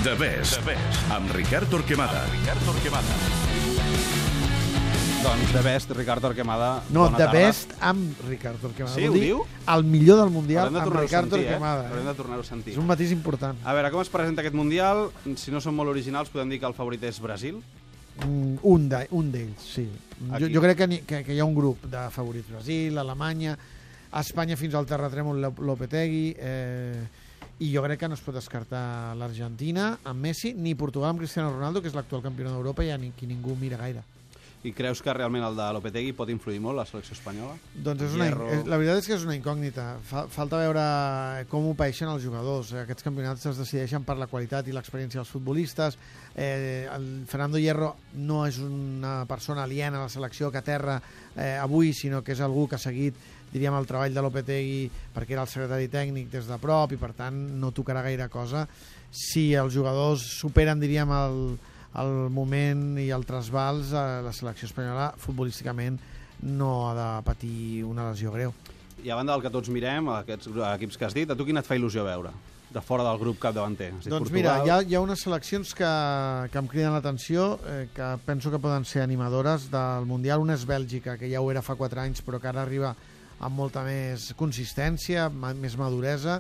The Best, amb Ricard Torquemada. Doncs The Best, Ricard Torquemada. No, bona The tarda. Best amb Ricard Torquemada. Sí, Vol ho dir diu? El millor del Mundial Haurem de amb tornar-ho a Ricard sentir, Torquemada. Haurem de tornar-ho a sentir. És un matís important. A veure, com es presenta aquest Mundial? Si no som molt originals, podem dir que el favorit és Brasil. Un d'ells, sí. Aquí. Jo crec que hi ha un grup de favorits. Brasil, Alemanya, Espanya fins al terratrèmol Lopetegui, i jo crec que no es pot descartar l'Argentina amb Messi, ni Portugal amb Cristiano Ronaldo, que és l'actual campió d'Europa i qui ningú mira gaire. I creus que realment el de Lopetegui pot influir molt a la selecció espanyola? Doncs la veritat és que és una incògnita. Falta veure com ho paeixen els jugadors. Aquests campionats es decideixen per la qualitat i l'experiència dels futbolistes. El Fernando Hierro no és una persona aliena a la selecció que aterra avui, sinó que és algú que ha seguit, diríem, el treball de Lopetegui perquè era el secretari tècnic des de prop i per tant no tocarà gaire cosa. Si els jugadors superen, diríem, el moment i el trasbals, la selecció espanyola futbolísticament no ha de patir una lesió greu. I a banda del que tots mirem, aquests equips que has dit, a tu quina et fa il·lusió veure? De fora del grup capdavanter. Doncs mira, hi ha unes seleccions que em criden l'atenció, que penso que poden ser animadores del Mundial. Una és Bèlgica, que ja ho era fa 4 anys, però que ara arriba amb molta més consistència, més maduresa.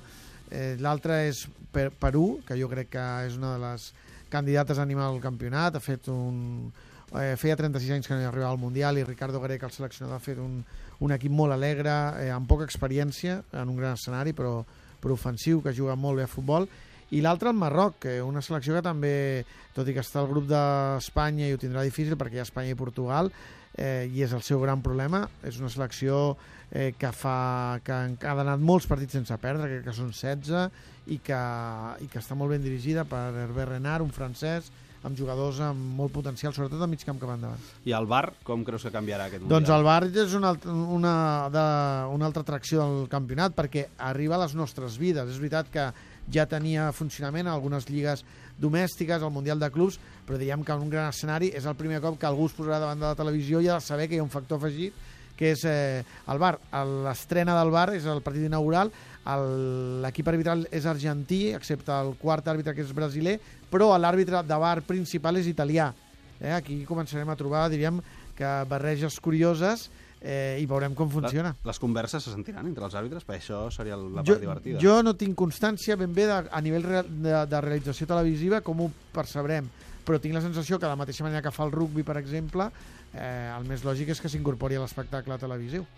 L'altra és Perú, que jo crec que és una de les candidates a animar el campionat. Feia 36 anys que no hi arribava al Mundial i Ricardo Gareca, el seleccionador, ha fet un equip molt alegre, amb poca experiència, en un gran escenari, però ofensiu, que juga molt bé a futbol. I l'altre, el Marroc, que una selecció que també, tot i que està al grup d'Espanya, i ho tindrà difícil perquè hi ha Espanya i Portugal, i és el seu gran problema. És una selecció que ha donat molts partits sense perdre, crec que són 16, i que està molt ben dirigida per Hervé Renard, un francès, amb jugadors amb molt potencial, sobretot al mig camp cap endavant. I el VAR, com creus que canviarà aquest Mundial? Doncs el VAR és una altra atracció del campionat, perquè arriba a les nostres vides. És veritat que ja tenia funcionament a algunes lligues domèstiques, al Mundial de Clubs, però diríem que en un gran escenari és el primer cop que algú es posarà davant de la televisió i ha de saber que hi ha un factor afegit, que és el VAR. L'estrena del VAR és el partit inaugural, l'equip arbitral és argentí, excepte el quart àrbitre, que és brasiler, però l'àrbitre de VAR principal és italià. Aquí començarem a trobar, diríem, que barreges curioses, i veurem com funciona. Les converses se sentiran entre els àrbitres? Per això seria la part divertida. Jo no tinc constància ben bé a nivell de realització televisiva com ho percebrem, però tinc la sensació que de la mateixa manera que fa el rugby, per exemple, el més lògic és que s'incorpori a l'espectacle televisiu.